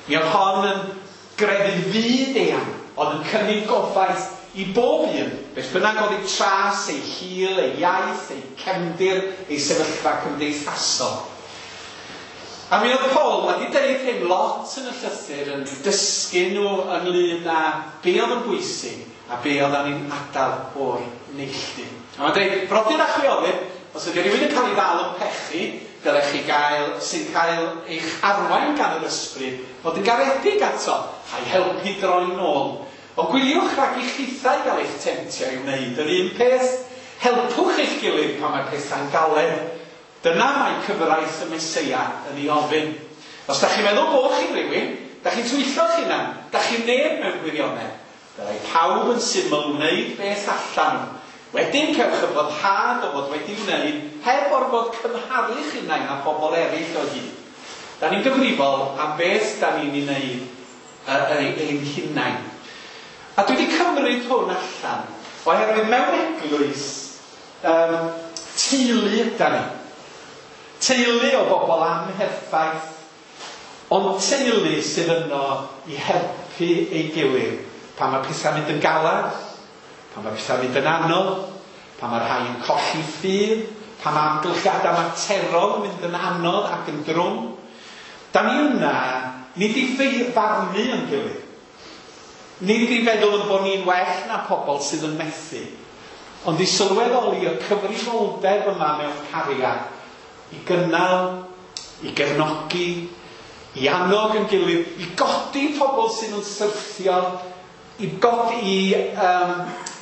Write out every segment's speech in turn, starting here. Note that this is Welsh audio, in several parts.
Mi oedd hon yn grefydd fyd eang, oedd yn cynnig gobaith i bob un, beth bynnag oedd eu tras, eu hil, eu iaith, eu cefndir, eu sefyllfa cymdeithasol. A mi oedd Paul wedi deud hyn lot yn y llythyr, yn dysgu nhw ynglyn â be oedd yn bwysig a be oedd ni'n adael o'r neilltu. A mae'n dweud, brodyr a chwiorydd, os ydy rhywun yn cael ei ddal yn pechu, dylech chi gael, sy'n cael eich arwain gan yr ysbryd, fod yn garedig ato, a'i helpu droi nôl. Ond gwyliwch rhag i chithau gael eich temtio i wneud yr un peth. Helpwch eich gilydd pan mae pethau'n galed. Dyna mae cyfraith y Meseia yn ei ofyn. Os da chi'n meddwl bod chi'n rhywun, da chi'n twyllo'ch hunan, da chi'n neb mewn gwirionedd. Dylai pawb yn syml wneud beth allan nhw. Wedyn cewch y boddhad o fod wedi wneud heb orfod cymharu'ch hunain â phobl eraill o hyd. Da ni'n gyfrifol am beth da ni'n ei wneud ein hunain. A dwi wedi cymryd hwn allan oherwydd mewn eglwys teulu yda ni. Teulu o bobl amherffaith, ond teulu sydd yno i helpu ei gilydd pan mae pethau'n mynd yn galad, pan mae pethau'n mynd yn anodd, pan mae rhai yn colli ffydd, pan mae amgylchiadau materol yn mynd yn anodd ac yn drwm. Da ni yna, nid i farnu yn gilydd. Nid i feddwl yn bod ni'n well na pobl sydd yn methu, ond i sylweddoli y cyfrifoldeb yma mewn cariad, i gynnal, i gefnogi, i annog yn gilydd, i godi pobl sydd yn syrthio, i godi, i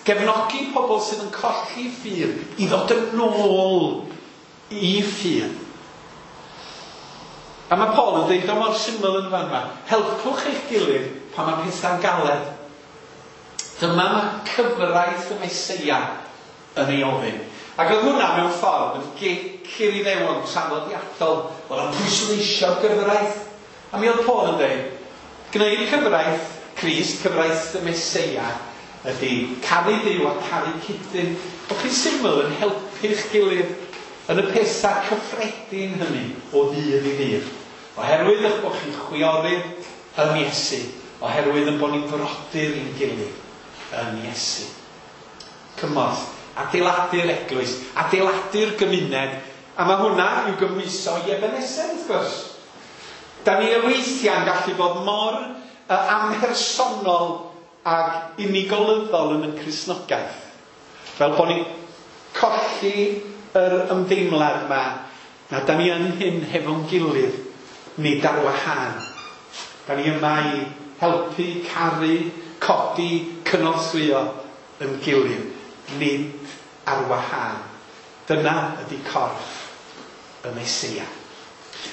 gefnogi pobl sydd yn colli ffydd, i ddod yn ôl i ffydd. A mae Paul yn dweud o mor syml yn fan yma, helpwch eich gilydd pan mae pethau'n galed. Dyma mae cyfraith y Meseia yn ei ofyn. Ac oedd hwnna mewn ffordd yn gic i'r Iddewon traddodiadol, oedd o'n pwysleisio'r gyfraith. A mi oedd Paul yn dweud, gwneud cyfraith Crist, cyfraith y Meseia, ydy caru Duw a caru cyd-dyn. Bod chi'n syml yn helpu'ch gilydd yn y pethau cyffredin hynny o ddydd i ddydd. Oherwydd eich bod chi'n chwiorydd yn Iesu, oherwydd yn bod ni'n frodyr i'n gilydd yn Iesu. Cymorth, adeiladu'r eglwys, adeiladu'r gymuned, a mae hwnna i'w gymhwyso i Ebenezer wrth gwrs. Da ni weithiau'n gallu bod mor amhersonol ac unigolyddol yn y Cristnogaeth. Fel bod ni'n colli yr ymdeimlad yma na da ni yn hyn hefo'n gilydd, nid ar wahân. Da ni yma i helpu, caru, codi, cynorthwyo yn gilydd, nid ar wahân. Dyna ydy corff y Meseia.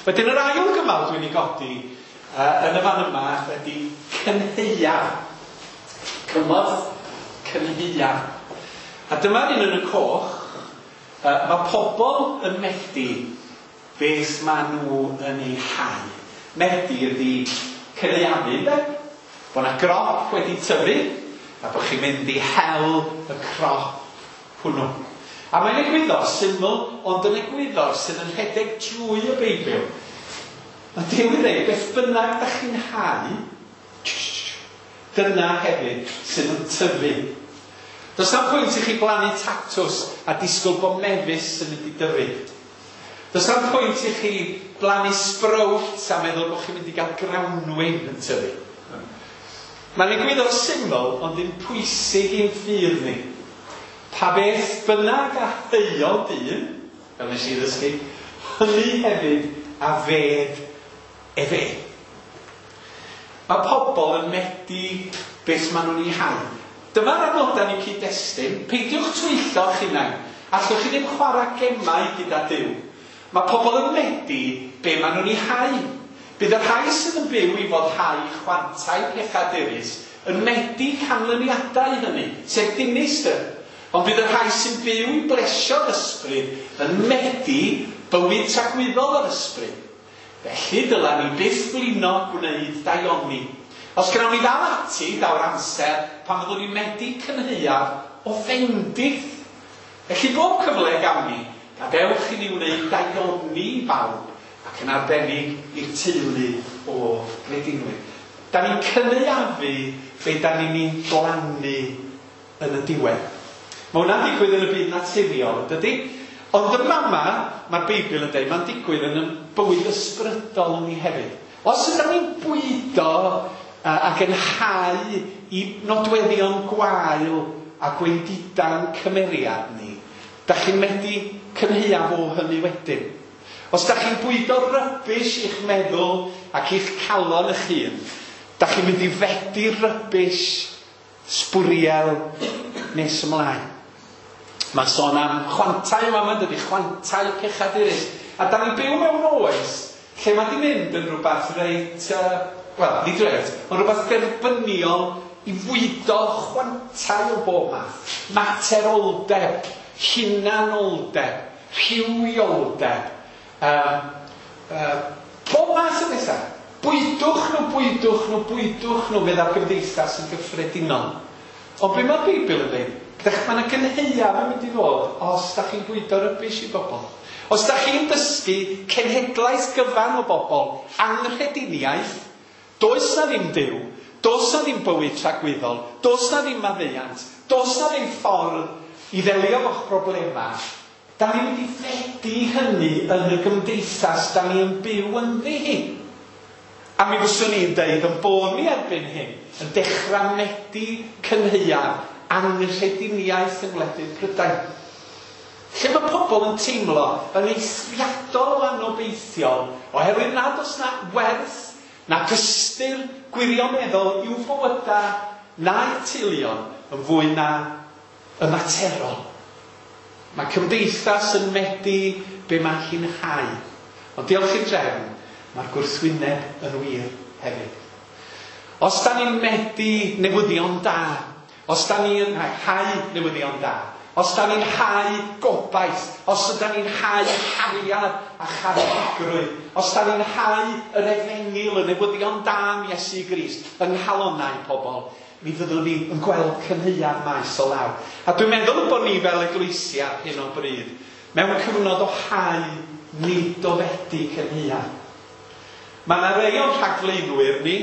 Wedyn yr ail gymal dwi'n ei godi yn y fan yma ydy cynhaeaf. Cymorth cynhaeaf. A dyma'r un yn y coch. Mae pobl yn medi beth maen nhw yn ei hau. Medi ydy cynaeafu, ynde? Bod yna grop wedi tyfu a bod chi'n mynd i hel y crop hwnnw. A mae'n egwyddor syml, ond yn egwyddor sydd yn rhedeg drwy y Beibl. Mae Duw yn dweud, beth bynnag da chi'n hau, dyna hefyd sydd yn tyfu. Does na'm pwynt i chi blannu tatws a disgwyl bod mefus yn mynd i dyfu. Does na'm pwynt i chi blannu sbrowts a meddwl bod chi'n mynd i gael grawnwin yn tyfu. Mae'n egwyddor syml, ond yn pwysig i'n ffydd ni. Pa beth bynnag a heuo dyn, fel nes i ddysgu, hynny hefyd a fed efe. Mae pobl yn medi beth maen nhw'n ei hau. Dyma'r adnodau ni cyd-destun. Peidiwch twyllo'ch hunain. Allwch chi ddim chwarae gemau gyda Duw. Mae pobl yn medi be maen nhw'n ei hau. Bydd y rhai sydd yn byw i foddhau chwantau pechadurus yn medi canlyniadau hynny, sef dinistr. Ond bydd y rhai sy'n byw i blesio'r ysbryd yn medi bywyd tragwyddol yr ysbryd. Felly dyla ni byth flino gwneud daioni. Os gnawn ni ddal ati, daw'r amser pan fyddwn ni'n medi cynhaeaf o fendith. Felly bob cyfle gawn ni, gadewch i ni wneud daioni i bawb ac yn arbennig i'r teulu o anghredinwyr. Da ni'n cynaeafu be da ni'n blannu yn y diwedd. Mae hwnna'n digwydd yn y byd naturiol, dydy? Ond y mama, mae'r Beibl yn dweud, mae'n digwydd yn y bywyd ysbrydol ni hefyd. Os ydym ni'n bwydo ac yn hau i nodweddion gwael a gwendidan cymeriad ni, da chi'n medru cynhaeaf o hynny wedyn. Os da chi'n bwydo rubbish i'ch meddwl ac i'ch calon eich hun, da chi'n mynd i fedi rubbish sbwriel nes ymlaen. Mae'n sôn am chwantau yma, mae'n dydy, chwantau pechadurus. A da ni'n byw mewn oes lle mae di mynd yn rhywbeth reit, wel, nid reit, ond rhywbeth derbyniol i fwydo chwantau o bob math. Materoldeb, hunanoldeb, rhywioldeb, pob math o bethau. Bwydwch nhw, bwydwch nhw, bwydwch nhw, meddai'r gymdeithas yn gyffredinol. Ond be mae'r Beibl yn dweud? Mae yna gynhaeaf yn mynd i ddod os da chi'n bwydo rubbish i bobl. Os da chi'n dysgu cenhedlaeth gyfan o bobl anghrediniaeth, does na ddim Duw, does na ddim bywyd tragwyddol, does na ddim maddeuant, does na ddim ffordd i ddelio efo'ch problemau, da ni'n mynd i fedi hynny yn y gymdeithas da ni yn byw ynddi hi. A mi fyswn i'n deud yn bod ni erbyn hyn yn dechrau medi cynhaeaf anghrediniaeth yng ngwledydd Prydain. Lle mae pobl yn teimlo yn eithriadol o anobeithiol oherwydd nad oes na werth na ystyr gwirioneddol i'w bywydau na'u teuluon yn fwy na y materol. Mae cymdeithas yn medi be mae hi'n hau. Ond diolch i'r drefn, mae'r gwrthwyneb yn wir hefyd. Os da ni'n medi newyddion da, os da ni'n hau newyddion da, os da ni'n hau gobaith, os da ni'n hau cariad a charedigrwydd, os da ni'n hau yr efengyl, y newyddion da am Iesu Grist yng nghalonnau pobl, mi fyddwn ni yn gweld cynhaeaf maes o law. A dwi'n meddwl bod ni fel eglwysi ar hyn o bryd, mewn cyfnod o hau nid o fedi cynhaeaf. Mae yna rei o'n rhagflaenwyr ni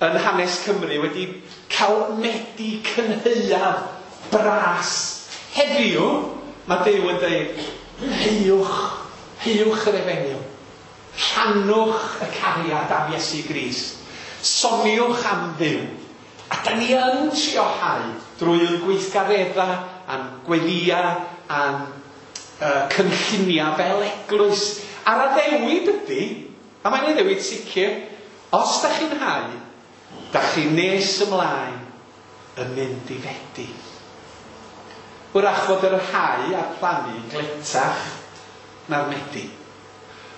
yn hanes Cymru wedi cael medi cynhaeaf bras. Heddiw, mae Duw yn dweud, heuwch, heuwch yr efengyl. Rhannwch y cariad am Iesu Grist. Soniwch am Dduw. A da ni yn trio hau drwy'r gweithgareddau a'n gweddiau a'n cynlluniau fel eglwys. A'r addewid ydy, a mae'n addewid sicr, os da chi'n hau, da chi nes ymlaen yn mynd i fedi. Wrach fod yr hau a'r plannu yn gletach na'r medi.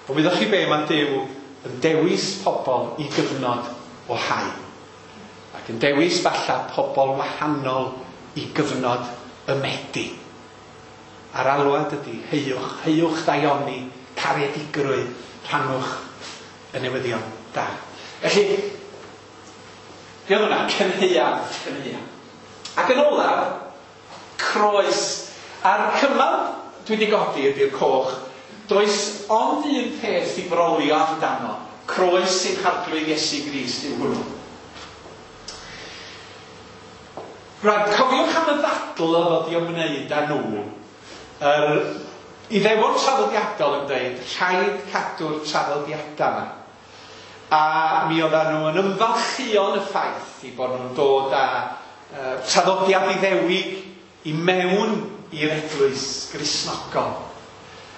Ond wyddoch chi be, mae Duw yn dewis pobl i gyfnod o hau. Ac yn dewis falla pobl wahanol i gyfnod y medi. A'r alwad ydy, heuwch, heuwch ddaioni, caredigrwydd, rhannwch y newyddion da. Felly, be oedd hwnna? Cynhaeaf, cynhaeaf. Ac yn olaf, croes. A'r cymal dwi wedi godi ydy'r coch. Does ond un peth i frolio amdano. Croes sy'n Harglwydd Iesu Grist yw hwnnw. Rhaid, cofiwch am y ddadl oedd wedi ymwneud â nhw. Yr Iddewon traddodiadol yn dweud, rhaid cadw'r traddodiadau yma. A mi oedden nhw yn ymfalchïo yn y ffaith i bod nhw'n dod â traddodiad Iddewig i mewn i'r eglwys Gristnogol.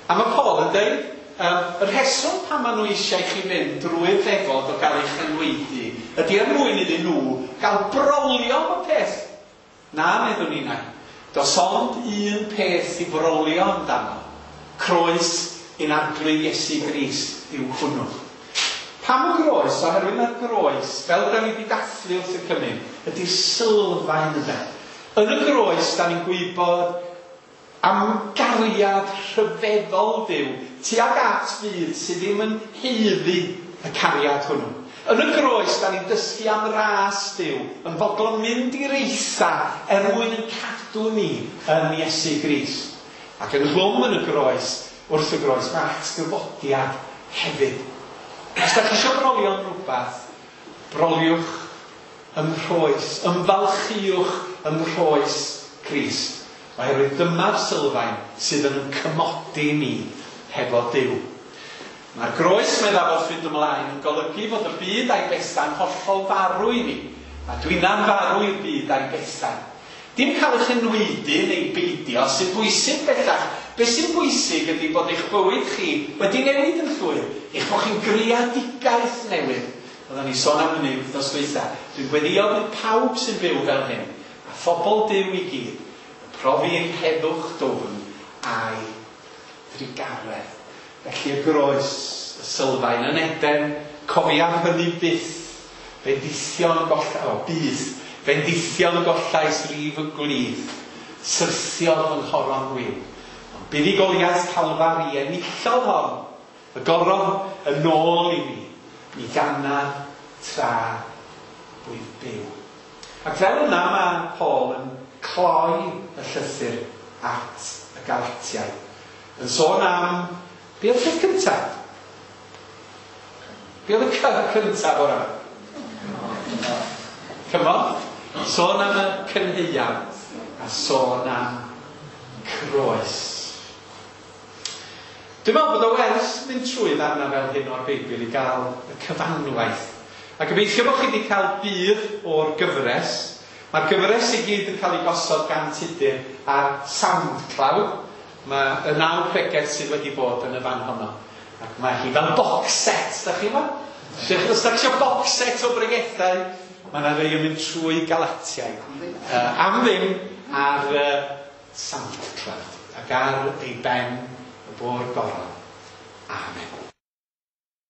A mae Paul yn dweud, y rheswm pan maen nhw eisiau chi fynd drwy'r ddefod o gael eich enwaedu ydy er mwyn iddyn nhw gael brolio am y peth. Na, meddwn ni na. Does ond un peth i frolio amdano. Croes ein Arglwydd Iesu Grist yw hwnnw. Pam y groes? Oherwydd mae'r groes, fel da ni wedi dathlu wrth y cymun, ydy'r sylfaen yna. Yn y groes, da ni'n gwybod am gariad rhyfeddol Duw tuag at fyd sydd ddim yn haeddu y cariad hwnnw. Yn y groes, da ni'n dysgu am ras Duw, yn fodlon mynd i'r eitha er mwyn yn cadw ni yn Iesu Grist. Ac ynghlwm yn y groes, wrth y groes, mae atgyfodiad hefyd. Os da chi eisiau brolio am rhywbeth, Broliwch ym mhroes, ymfalchïwch ym mhroes Crist. Oherwydd dyma'r sylfaen sydd yn cymodi ni hefo Duw. Mae'r groes, meddaf wrth fynd ymlaen, yn golygu fod y byd a'i bethau'n hollol farw i mi, a dwinna'n farw i'r byd a'i bethau. Dim cael eich enwaedu neu beidio sy'n bwysig bellach. Be sy'n bwysig ydy bod eich bywyd chi wedi newid yn llwyr, eich bod chi'n greadigaeth newydd. Oedden ni sôn am hynny wythnos dwytha. Dwi'n gweddïo bydd pawb sy'n byw fel hyn, a phobl Duw i gyd, yn profi ei heddwch dwfn a'i drugaredd. Felly y groes, y sylfaen yn Eden, cofiaf hynny byth, bendithion goll- o, byth, bendithion gollais lif y gwlith, syrthiodd fy nghoron wiw. Ond buddugoliaeth Calfari enillodd hon, y goron yn ôl i mi, mi ganaf tra wyf byw. Ac fel yna mae Paul yn cloi y llythyr at y Galatiaid. Yn sôn am, be oedd y peth cyntaf? Be oedd y cy cyntaf o'r yma? Cymorth. Sôn am y cynhaeaf a sôn am croes. Dwi'n meddwl bod o wers mynd trwy ddarnau fel hyn o'r Beibl i gael y cyfanwaith. A gobeithio bod chi wedi cael budd o'r gyfres. Mae'r gyfres i gyd yn cael ei gosod gan Tudur ar SoundCloud. Mae y 9 pregeth sydd wedi bod yn y fan honno. Ac mae hi fel box set, da chi yma? Os da chi eisiau box set o bregethau, mae yna rei yn mynd trwy Galatiaid. Am ddim ar SoundCloud. Ac ar ei ben y bo'r goron. Amen.